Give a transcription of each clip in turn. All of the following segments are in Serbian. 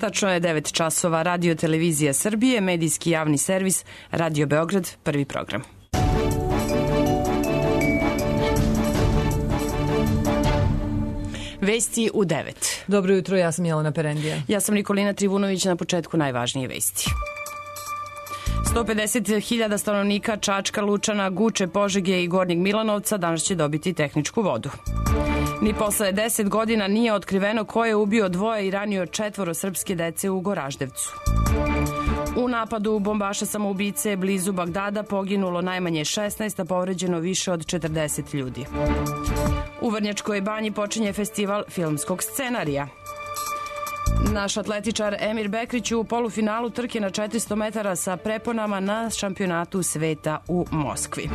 Tačno je 9 časova. Radio Televizija Srbije, medijski javni servis, Radio Beograd, prvi program. Vesti u 9. Dobro jutro, ja sam Jelena Perendija. Ja sam Nikolina Trivunović, na početku najvažnije vesti. 150.000 stanovnika Čačka, Lučana, Guče, Požege i Gornjeg Milanovca danas će dobiti tehničku vodu. Ni posle 10 godina nije otkriveno ko je ubio 2 i ranio 4 srpske dece u Goraždevcu. U napadu bombaša samoubice blizu Bagdada poginulo najmanje 16, a povređeno više od 40 ljudi. U Vrnjačkoj banji počinje festival filmskog scenarija. Naš atletičar Emir Bekrić u polufinalu trke na 400 metara sa preponama na šampionatu sveta u Moskvi.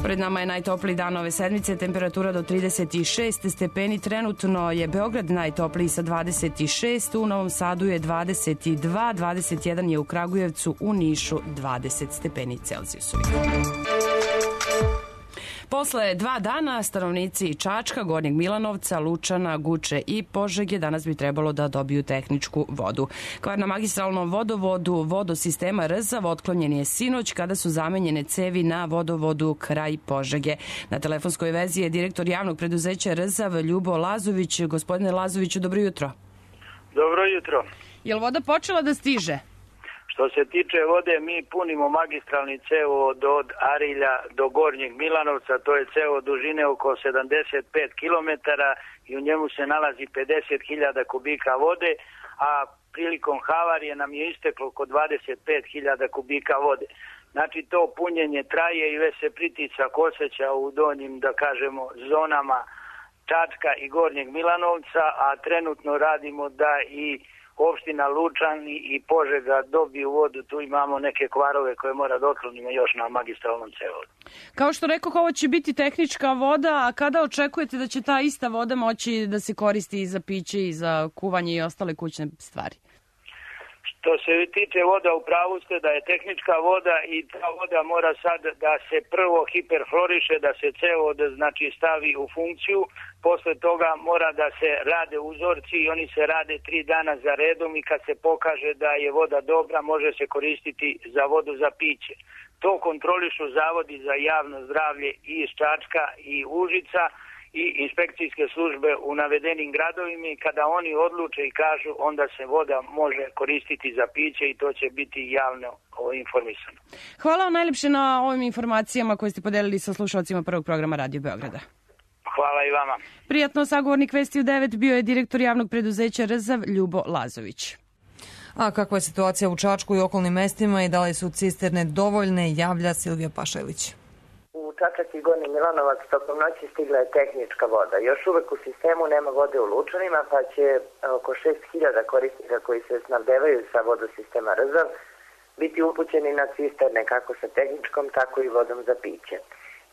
Pred nama je najtopliji dan ove sedmice, temperatura do 36 stepeni. Trenutno je Beograd najtopliji sa 26, u Novom Sadu je 22, 21 je u Kragujevcu, u Nišu 20 stepeni Celzijusovih. Posle 2 dana stanovnici Čačka, Gornjeg Milanovca, Lučana, Guče i Požege danas bi trebalo da dobiju tehničku vodu. Kvar na magistralnom vodovodu vodosistema Rzav otklonjen je sinoć kada su zamenjene cevi na vodovodu kraj Požege. Na telefonskoj vezi je direktor javnog preduzeća Rzav Ljubo Lazović. Gospodine Lazoviću, dobro jutro. Dobro jutro. Je li voda počela da stiže? Što se tiče vode, mi punimo magistralni cevovod od Arilja do Gornjeg Milanovca, to je cevovod dužine oko 75 km i u njemu se nalazi 50.000 kubika vode, a prilikom havarije nam je isteklo oko 25.000 kubika vode. Znači to punjenje traje i već se pritisak osjeća u donjim, da kažemo, zonama Čačka i Gornjeg Milanovca, a trenutno radimo da i opština Lučani i Požega dobiju vodu. Tu imamo neke kvarove koje mora da otklonimo još na magistralnom cevodu. Kao što rekoh, ovo će biti tehnička voda, a kada očekujete da će ta ista voda moći da se koristi i za piće i za kuvanje i ostale kućne stvari? Što se tiče voda, u pravu ste da je tehnička voda i ta voda mora sad da se prvo hiperfloriše, da se cevovod znači stavi u funkciju. Posle toga mora da se rade uzorci i oni se rade 3 dana za redom i kad se pokaže da je voda dobra, može se koristiti za vodu za piće. To kontrolišu zavodi za javno zdravlje i iz Čačka i Užica i inspekcijske službe u navedenim gradovima i kada oni odluče i kažu, onda se voda može koristiti za piće i to će biti javno informisano. Hvala vam najlepše na ovim informacijama koje ste podelili sa slušalcima prvog programa Radio Beograda. Hvala i vama. Prijatno, sagovornik Vesti u 9 bio je direktor javnog preduzeća Rzav Ljubo Lazović. A kakva je situacija u Čačku i okolnim mestima i da li su cisterne dovoljne, javlja Silvija Pašalić. U Čačak i Gornji Milanovac tokom noći stigla je tehnička voda. Još uvek u sistemu nema vode u Lučanima, pa će oko 6.000 korisnika koji se snabdevaju sa vodosistema Rzav biti upućeni na cisterne kako sa tehničkom, tako i vodom za piće.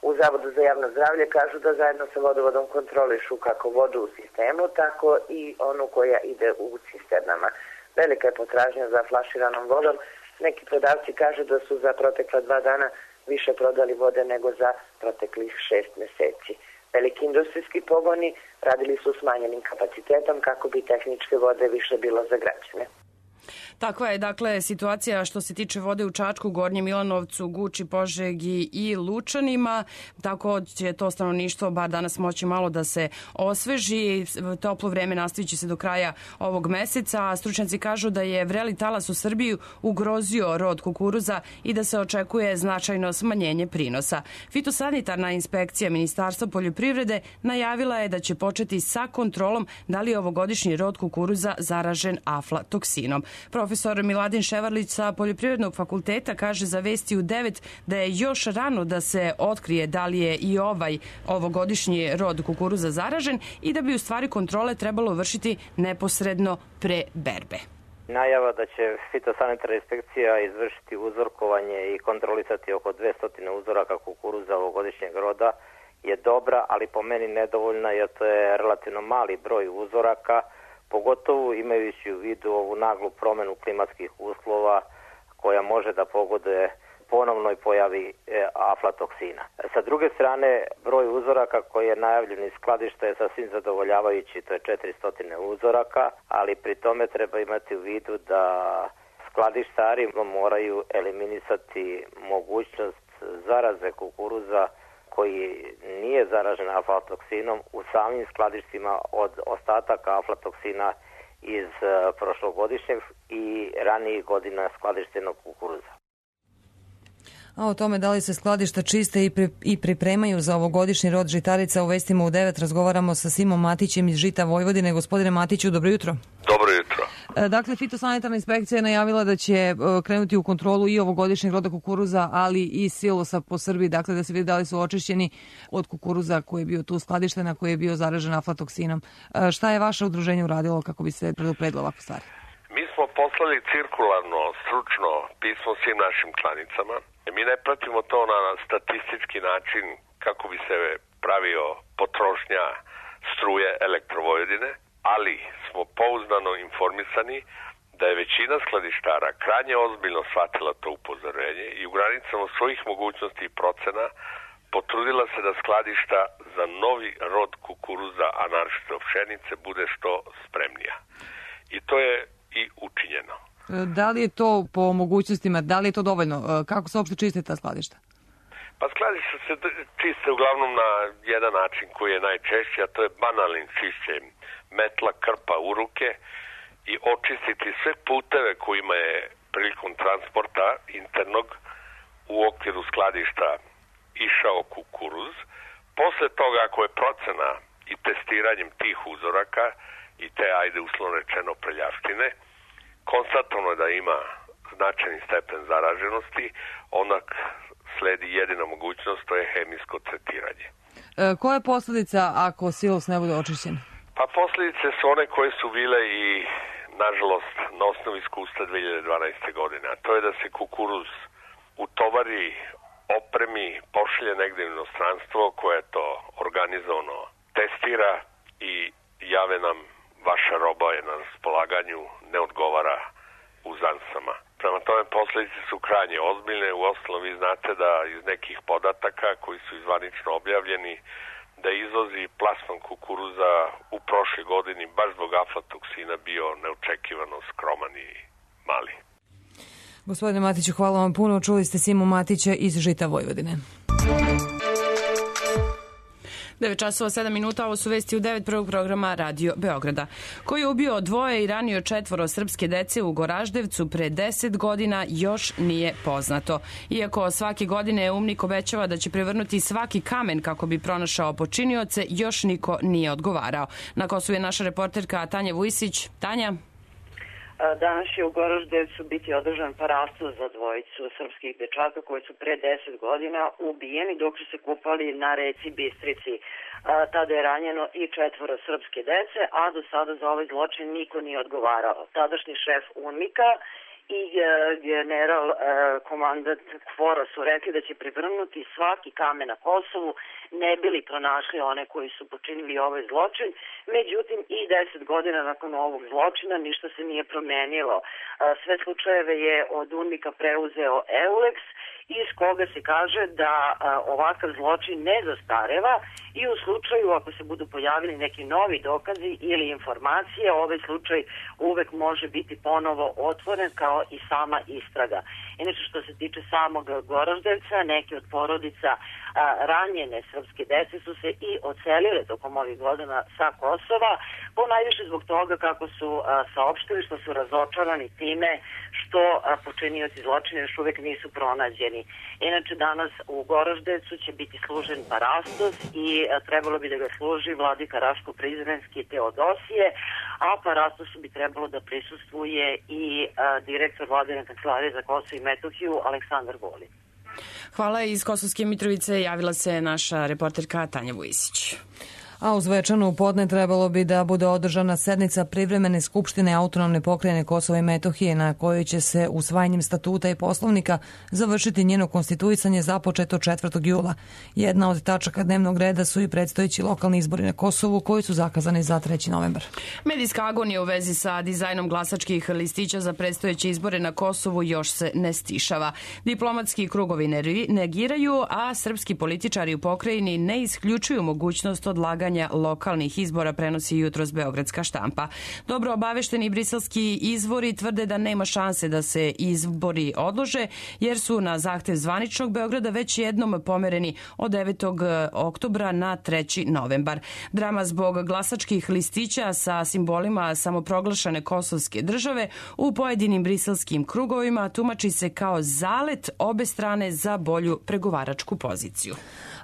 U Zavodu za javno zdravlje kažu da zajedno sa vodovodom kontrolišu kako vodu u sistemu, tako i onu koja ide u cisternama. Velika je potražnja za flaširanom vodom. Neki prodavci kažu da su za protekla 2 dana više prodali vode nego za proteklih 6 meseci. Veliki industrijski pogoni radili su smanjenim kapacitetom kako bi tehničke vode više bilo za građane. Takva je, dakle, situacija što se tiče vode u Čačku, Gornjem Milanovcu, Guči, Požegi i Lučanima. Tako će to stanovništvo bar danas moći malo da se osveži. Toplo vreme nastavit će se do kraja ovog meseca. Stručnjaci kažu da je vreli talas u Srbiji ugrozio rod kukuruza i da se očekuje značajno smanjenje prinosa. Fitosanitarna inspekcija Ministarstva poljoprivrede najavila je da će početi sa kontrolom da li je ovogodišnji rod kukuruza zaražen aflatoksinom. Profesor Miladin Ševarlić sa Poljoprivrednog fakulteta kaže za Vesti u 9 da je još rano da se otkrije da li je i ovogodišnji rod kukuruza zaražen i da bi u stvari kontrole trebalo vršiti neposredno pre berbe. Najava da će fitosanitarna inspekcija izvršiti uzorkovanje i kontrolisati oko 200 uzoraka kukuruza ovogodišnjeg roda je dobra, ali po meni nedovoljna jer to je relativno mali broj uzoraka, pogotovo imajući u vidu ovu naglu promenu klimatskih uslova koja može da pogoduje ponovnoj pojavi aflatoksina. Sa druge strane, broj uzoraka koji je najavljen iz skladišta je sasvim zadovoljavajući, to je 400 uzoraka, ali pri tome treba imati u vidu da skladištari moraju eliminisati mogućnost zaraze kukuruza koji nije zaražen aflatoksinom u samim skladištima od ostataka aflatoksina iz prošlogodišnjeg i ranijih godina skladištenog kukuruza. A o tome da li se skladišta čiste i pripremaju za ovogodišnji rod žitarica u Vestima u 9 razgovaramo sa Simom Matićem iz Žita Vojvodine. Gospodine Matiću, dobro jutro. Dobro jutro. Dakle, fitosanitarna inspekcija je najavila da će krenuti u kontrolu i ovogodišnjeg roda kukuruza, ali i silosa po Srbiji, dakle da se vidi da li su očišćeni od kukuruza koji je bio tu skladišten, a koji je bio zaražen aflatoksinom. Šta je vaše udruženje uradilo kako bi se predupredilo ovakve stvari? Mi smo poslali cirkularno, stručno pismo svim našim članicama. Mi ne pratimo to na statistički način kako bi se pravio potrošnja struje Elektrovojvodine, ali smo pouzdano informisani da je većina skladištara krajnje ozbiljno shvatila to upozorenje i u granicama svojih mogućnosti i procena potrudila se da skladišta za novi rod kukuruza, a naročito pšenice, bude što spremnija. I to je i učinjeno. Da li je to po mogućnostima, da li je to dovoljno? Kako se uopšte čiste ta skladišta? Pa skladišta se čiste uglavnom na jedan način koji je najčešći, a to je banalnim čišćenjem metla, krpa u ruke i očistiti sve puteve kojima je prilikom transporta internog u okviru skladišta išao kukuruz. Posle toga, ako je procena i testiranjem tih uzoraka i te, ajde uslovno rečeno, prljavštine, konstatovano je da ima značajni stepen zaraženosti, onak sledi jedina mogućnost, to je hemijsko tretiranje. Koja je posljedica ako silos ne bude očišćen? Pa posljedice su one koje su bile i, nažalost, na osnovu iskustva 2012. godine, a to je da se kukuruz utovari, opremi, pošlje negde u inostranstvo koje to organizovano testira i jave nam vaša roba je na raspolaganju, ne odgovara uzansama. Prema tome, posljedice su krajnje ozbiljne. U osnovu vi znate da iz nekih podataka koji su izvanično objavljeni, da izvozi plasman kukuruza u prošle godini baš zbog aflatoksina bio neočekivano skroman i mali. Gospodine Matiću, hvala vam puno. Čuli ste Simu Matića iz Žita Vojvodine. 9 časova 7 minuta, ovo su vesti u 9 prvog programa Radio Beograda. Koji je ubio dvoje i ranio 4 srpske dece u Goraždevcu pre 10 godina još nije poznato. Iako svake godine UMNIK obećava da će prevrnuti svaki kamen kako bi pronašao počinioce, još niko nije odgovarao. Na Kosovu je naša reporterka Tanja Vujsić. Tanja? Danas će u Goraždevcu biti održan parastos za dvojicu srpskih dečaka koji su pre 10 godina ubijeni dok su se kupali na reci Bistrici. Tada je ranjeno i 4 srpske dece, a do sada za ovaj zločin niko nije odgovarao. Tadašnji šef UNMIK-a i general komandant KFOR-a su rekli da će prevrnuti svaki kamen na Kosovu, ne bili pronašli one koji su počinili ovaj zločin. Međutim, i 10 godina nakon ovog zločina ništa se nije promenilo. Sve slučajeve je od UNMIK-a preuzeo EULEX, iz koga se kaže da ovakav zločin ne zastareva i u slučaju ako se budu pojavili neki novi dokazi ili informacije, ovaj slučaj uvek može biti ponovo otvoren kao i sama istraga. Inače, što se tiče samog Goraždevca, neki od porodica ranjene srpske dece su se i odselile tokom ovih godina sa Kosova, ponajviše zbog toga kako su saopštili što su razočarani time što počinioci zločina još uvek nisu pronađeni. Inače, danas u Goraždevcu će biti služen parastos i trebalo bi da ga služi vladika Raško-Prizrenski Teodosije, a parastosu bi trebalo da prisustvuje i direktor Vladine kancelarije za Kosovo i Metohiju Aleksandar Golin. Hvala. Iz Kosovske Mitrovice javila se naša reporterka Tanja Vujsić. A u Zvečanu u podne trebalo bi da bude održana sednica privremene skupštine autonomne pokrajine Kosova i Metohije, na kojoj će se usvajanjem statuta i poslovnika završiti njeno konstituisanje započeto 4. jula. Jedna od tačaka dnevnog reda su i predstojeći lokalni izbori na Kosovu, koji su zakazani za 3. novembar. Medijska agonija u vezi sa dizajnom glasačkih listića za predstojeće izbore na Kosovu još se ne stišava. Diplomatski krugovi negiraju, a srpski političari u pokrajini ne isključuju mogućnost odlaganja lokalnih izbora, prenosi jutros beogradska štampa. Dobro obavešteni briselski izvori tvrde da nema šanse da se izbori odlože, jer su na zahtev zvaničnog Beograda već jednom pomereni od 9. oktobra na 3. novembar. Drama zbog glasačkih listića sa simbolima samoproglašene kosovske države u pojedinim briselskim krugovima tumači se kao zalet obe strane za bolju pregovaračku poziciju.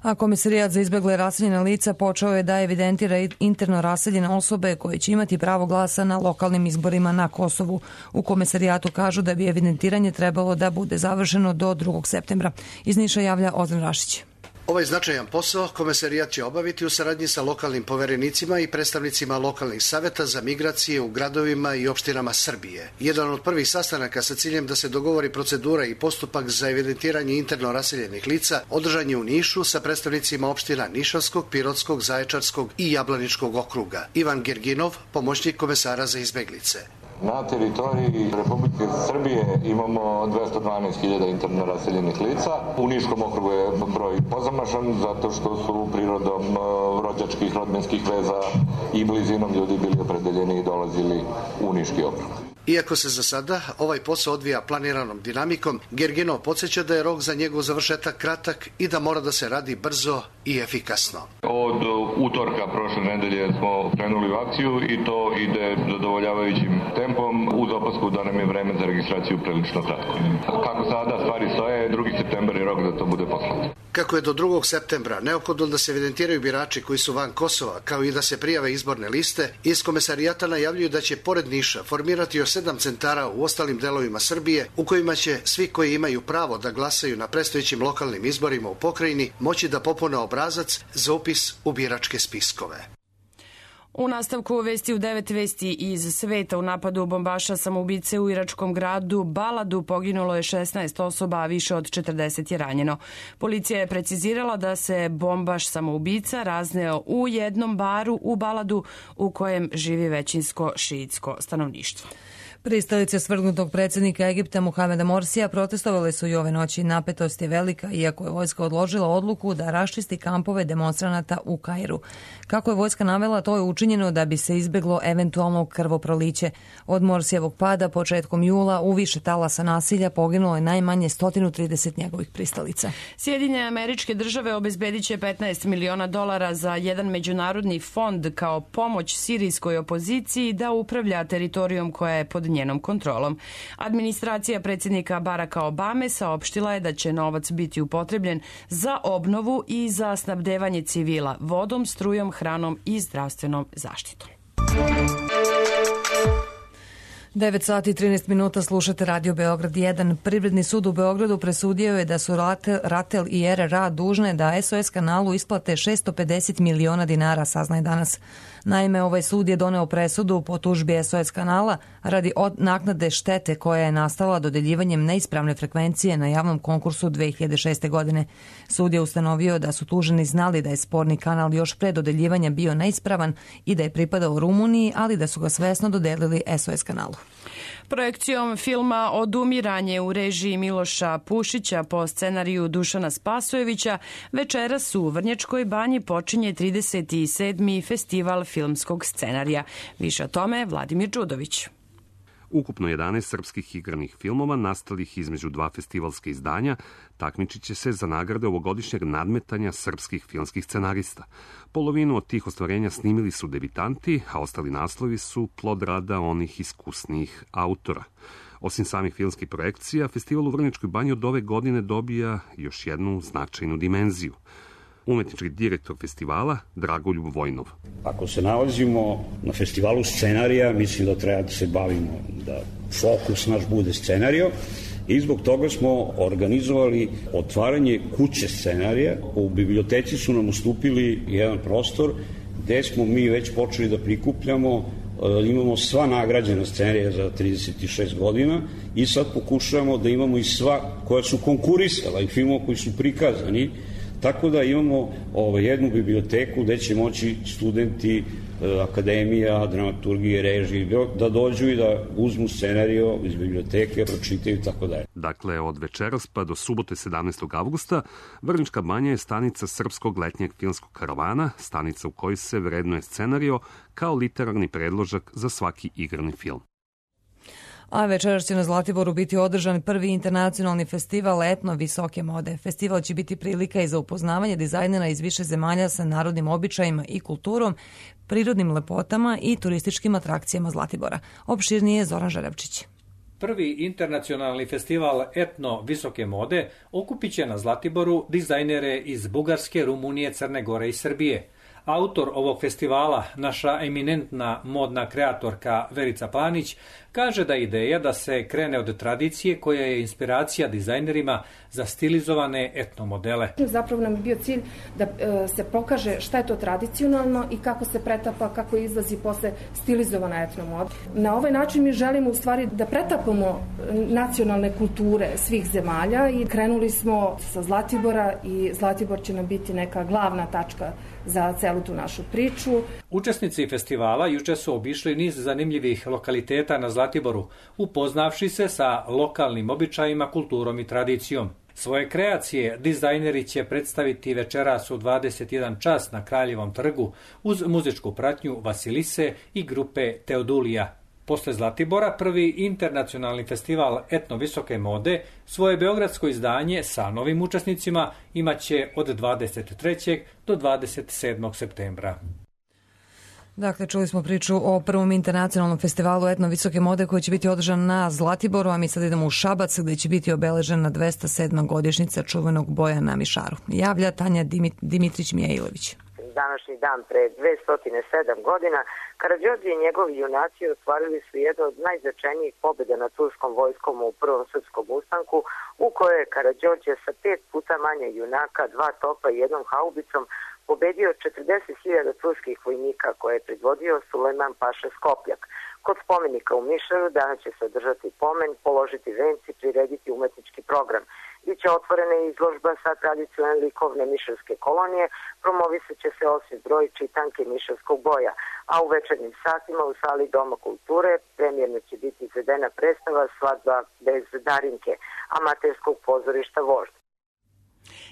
A Komesarijat za izbegle raseljena lica počeo je da evidentira interno raseljene osobe koje će imati pravo glasa na lokalnim izborima na Kosovu. U Komesarijatu kažu da bi evidentiranje trebalo da bude završeno do 2. septembra. Iz Niša javlja Ozren Rašić. Ovaj značajan posao Komesarijat će obaviti u saradnji sa lokalnim poverenicima i predstavnicima lokalnih saveta za migracije u gradovima i opštinama Srbije. Jedan od prvih sastanaka sa ciljem da se dogovori procedura i postupak za evidentiranje interno raseljenih lica održan je u Nišu sa predstavnicima opština Nišavskog, Pirotskog, Zaječarskog i Jablaničkog okruga. Ivan Gerginov, pomoćnik komesara za izbeglice. Na teritoriji Republike Srbije imamo 212.000 interno raseljenih lica. U Niškom okrugu je broj pozamašan zato što su prirodom rođačkih, rodbinskih veza i blizinom ljudi bili opredeljeni i dolazili u Niški okrug. Iako se za sada ovaj posao odvija planiranom dinamikom, Gerginov podsjeća da je rok za njegov završetak kratak i da mora da se radi brzo i efikasno. Od utorka prošle nedelje smo krenuli u akciju i to ide zadovoljavajućim tempom uz opasku da nam je vreme za registraciju prilično kratko. Kako sada stvari stoje, 2. septembar je rok da to bude poslato. Kako je do 2. septembra neophodno da se evidentiraju birači koji su van Kosova, kao i da se prijave izborne liste, iz Komesarijata najavljuju da će pored Niša formirati još 7 centara u ostalim delovima Srbije, u kojima će svi koji imaju pravo da glasaju na predstojećim lokalnim izborima u pokrajini moći da popune obrazac za upis u biračke spiskove. U nastavku vesti u 9 vesti iz sveta. U napadu bombaša samoubice u iračkom gradu Baladu poginulo je 16 osoba, a više od 40 je ranjeno. Policija je precizirala da se bombaš samoubica razneo u jednom baru u Baladu u kojem živi većinsko šiitsko stanovništvo. Pristalice svrgnutog predsjednika Egipta Muhameda Morsija protestovale su i ove noći. Napetost je velika, iako je vojska odložila odluku da raščisti kampove demonstranata u Kairu. Kako je vojska navela, to je učinjeno da bi se izbeglo eventualno krvoproliće. Od Morsijevog pada početkom jula u više talasa nasilja poginulo je najmanje 130 njegovih pristalica. Sjedinjene Američke Države obezbedit će $15 miliona za jedan međunarodni fond kao pomoć sirijskoj opoziciji da upravlja teritorijom koja je pod njenom kontrolom. Administracija predsjednika Baracka Obame saopštila je da će novac biti upotrebljen za obnovu i za snabdevanje civila vodom, strujom, hranom i zdravstvenom zaštitom. 9 sati i 13 minuta slušate Radio Beograd 1. Privredni sud u Beogradu presudio je da su RATEL i RRA dužne da SOS kanalu isplate 650 miliona dinara, saznaje danas. Naime, ovaj sud je doneo presudu po tužbi SOS kanala radi naknade štete koja je nastala dodeljivanjem neispravne frekvencije na javnom konkursu 2006. godine. Sud je ustanovio da su tuženi znali da je sporni kanal još pre dodeljivanja bio neispravan i da je pripadao Rumuniji, ali da su ga svesno dodelili SOS kanalu. Projekcijom filma Odumiranje u režiji Miloša Pušića po scenariju Dušana Spasojevića večeras u Vrnjačkoj banji počinje 37. festival filmskog scenarija. Više o tome Vladimir Đudović. Ukupno 11 srpskih igranih filmova nastalih između dva festivalska izdanja takmičit će se za nagrade ovogodišnjeg nadmetanja srpskih filmskih scenarista. Polovinu od tih ostvarenja snimili su debitanti, a ostali naslovi su plod rada onih iskusnijih autora. Osim samih filmskih projekcija, festival u Vrnjačkoj banji od ove godine dobija još jednu značajnu dimenziju. Umetnički direktor festivala Dragoljub Vojnov. Ako se nalazimo na festivalu scenarija, mislim da treba da se bavimo, da fokus naš bude scenario, i zbog toga smo organizovali otvaranje kuće scenarija. U biblioteci su nam ustupili jedan prostor gde smo mi već počeli da prikupljamo, imamo sva nagrađena scenarija za 36 godina i sad pokušavamo da imamo i sva koja su konkurisala i filmova koji su prikazani, tako da imamo jednu biblioteku gde će moći studenti akademija, dramaturgije, režije, da dođu i da uzmu scenario iz biblioteke, pročitaju i tako dalje. Dakle, od večeras pa do subote 17. avgusta Vrnjačka Banja je stanica Srpskog letnjeg filmskog karavana, stanica u kojoj se vrednuje scenario kao literarni predložak za svaki igrani film. A večeras će na Zlatiboru biti održan prvi internacionalni festival etno visoke mode. Festival će biti prilika i za upoznavanje dizajnera iz više zemalja sa narodnim običajima i kulturom, prirodnim lepotama i turističkim atrakcijama Zlatibora. Opširnije Zoran Žarevčić. Prvi internacionalni festival etno visoke mode okupit će na Zlatiboru dizajnere iz Bugarske, Rumunije, Crne Gore i Srbije. Autor ovog festivala, naša eminentna modna kreatorka Verica Planić, kaže da je ideja da se krene od tradicije koja je inspiracija dizajnerima za stilizovane etno modele. Zapravo nam je bio cilj da se pokaže šta je to tradicionalno i kako se pretapa, kako izlazi posle stilizovana etno moda. Na ovaj način mi želimo u stvari da pretapamo nacionalne kulture svih zemalja i krenuli smo sa Zlatibora i Zlatibor će nam biti neka glavna tačka za celu tu našu priču. Učesnici festivala juče su obišli niz zanimljivih lokaliteta na Zlatiboru, upoznavši se sa lokalnim običajima, kulturom i tradicijom. Svoje kreacije dizajneri će predstaviti večeras u 21 čas na Kraljevom trgu uz muzičku pratnju Vasilise i grupe Teodulija. Posle Zlatibora prvi internacionalni festival etno visoke mode svoje beogradsko izdanje sa novim učesnicima imaće od 23. do 27. septembra. Dakle, čuli smo priču o prvom internacionalnom festivalu etno visoke mode koji će biti održan na Zlatiboru, a mi sad idemo u Šabac gde će biti obeležena 207. godišnjica čuvenog boja na Mišaru. Javlja Tanja Dimitrić-Mijailović. Današnji dan pre 207 godina Karađorđe i njegovi junaci ostvarili su jednu od najznačajnijih pobjeda nad turskom vojskom u prvom srpskom ustanku, u kojoj je Karađorđe sa 5 puta manje junaka, 2 topa i 1 haubicom pobedio 40.000 turskih vojnika koje je predvodio Sulejman Paša Skopljak. Kod spomenika u Mišaru danas će se održati pomen, položiti venci, prirediti umetnički program. Biće otvorena izložba sa tradicionalne likovne mišarske kolonije, promovisat će se osmi broj čitanke mišarskog boja, a u večernjim satima u sali Doma kulture premijerno će biti izvedena predstava Svadba bez Darinke, amaterskog pozorišta Vožd.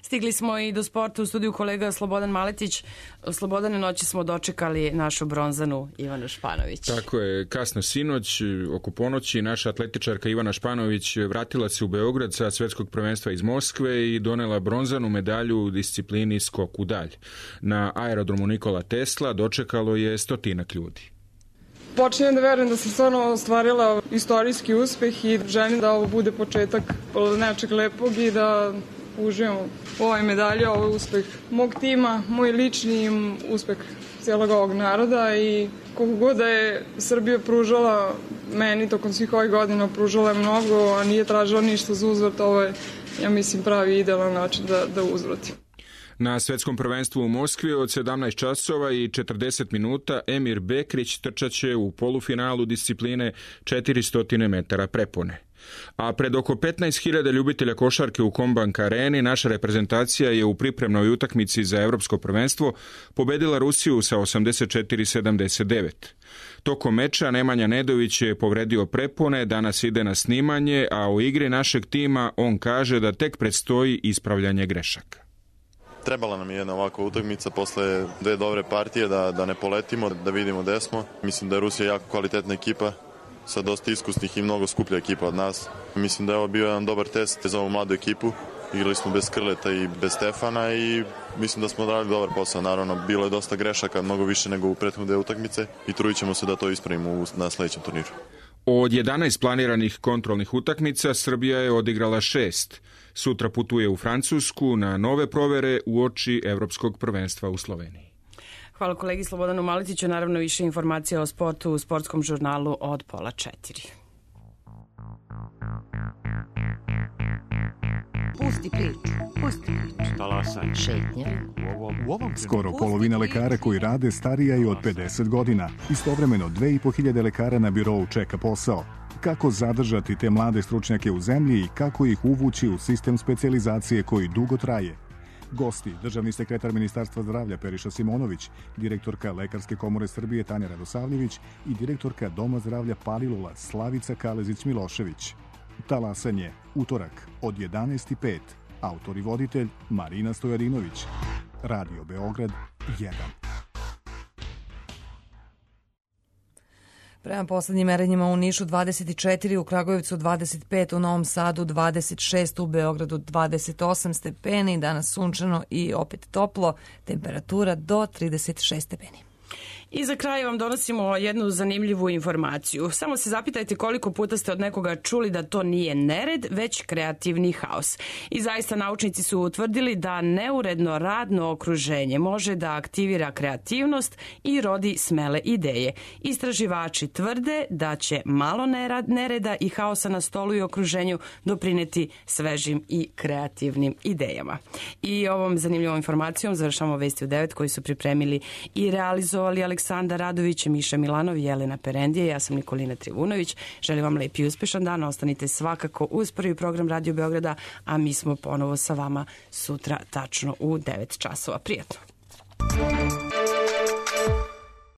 Stigli smo i do sporta u studiju kolega Slobodan Maletić. Slobodane, noći smo dočekali našu bronzanu Ivanu Španović. Tako je, kasno sinoć, oko ponoći, naša atletičarka Ivana Španović vratila se u Beograd sa svetskog prvenstva iz Moskve i donela bronzanu medalju u disciplini skok u dalj. Na aerodromu Nikola Tesla dočekalo je 100 ljudi. Počinjem da verujem da sam stvarno ostvarila istorijski uspeh i želim da ovo bude početak nečeg lepog i da uživamo u ovoj medalji, ovo je uspeh mog tima, moj lični uspeh cijelog ovog naroda i koliko god da je Srbija pružala meni tokom svih ovih godina, pružala je mnogo, a nije tražila ništa za uzvrat, ovo je, ja mislim, pravi idealan način da uzvrati. Na svetskom prvenstvu u Moskvi od 17 časova i 40 minuta Emir Bekrić trčaće u polufinalu discipline 400 metara prepone. A pred oko 15.000 ljubitelja košarke u Kombank areni naša reprezentacija je u pripremnoj utakmici za evropsko prvenstvo pobedila Rusiju sa 84-79. Tokom meča Nemanja Nedović je povredio prepone, danas ide na snimanje, a u igri našeg tima on kaže da tek predstoji ispravljanje grešaka. Trebala nam je jedna ovakva utakmica posle 2 dobre partije da ne poletimo, da vidimo gde smo. Mislim da je Rusija jako kvalitetna ekipa, sa dosta iskusnih i mnogo skuplja ekipa od nas. Mislim da je ovo bio jedan dobar test za ovu mladu ekipu. Igrali smo bez Krleta i bez Stefana i mislim da smo odradili dobar posao. Naravno, bilo je dosta grešaka, mnogo više nego u prethodne utakmice i trudit ćemo se da to ispravimo na sledećem turniru. Od 11 planiranih kontrolnih utakmica Srbija je odigrala 6. Sutra putuje u Francusku na nove provere uoči Evropskog prvenstva u Sloveniji. Hvala kolegi Slobodanu Maletiću. Naravno, više informacija o sportu u sportskom žurnalu od 3:30. Pusti priču. Talasanje. Šetnja. Skoro polovina lekara koji rade starija je od 50 godina. Istovremeno 2500 lekara na birou čeka posao. Kako zadržati te mlade stručnjake u zemlji i kako ih uvući u sistem specijalizacije koji dugo traje? Gosti, državni sekretar Ministarstva zdravlja Periša Simonović, direktorka Lekarske komore Srbije Tanja Radosavljević i direktorka Doma zdravlja Palilula Slavica Kalezić-Milošević. Talasanje, utorak od 11:05. Autor i voditelj Marina Stojadinović. Radio Beograd 1. Prema poslednjim merenjima u Nišu 24, u Kragujevcu 25, u Novom Sadu 26, u Beogradu 28 stepeni, danas sunčano i opet toplo, temperatura do 36 stepeni. I za kraj vam donosimo jednu zanimljivu informaciju. Samo se zapitajte koliko puta ste od nekoga čuli da to nije nered, već kreativni haos. I zaista naučnici su utvrdili da neuredno radno okruženje može da aktivira kreativnost i rodi smele ideje. Istraživači tvrde da će malo nereda i haosa na stolu i okruženju doprineti svežim i kreativnim idejama. I ovom zanimljivom informacijom završamo Vesti u 9 koji su pripremili i realizovali Aleksandar Radović, Miša Milanov i Jelena Perendije. Ja sam Nikolina Trivunović. Želim vam lep i uspešan dan. Ostanite svakako uz prvi program Radio Beograda, a mi smo ponovo sa vama sutra tačno u 9 časova. Prijatno.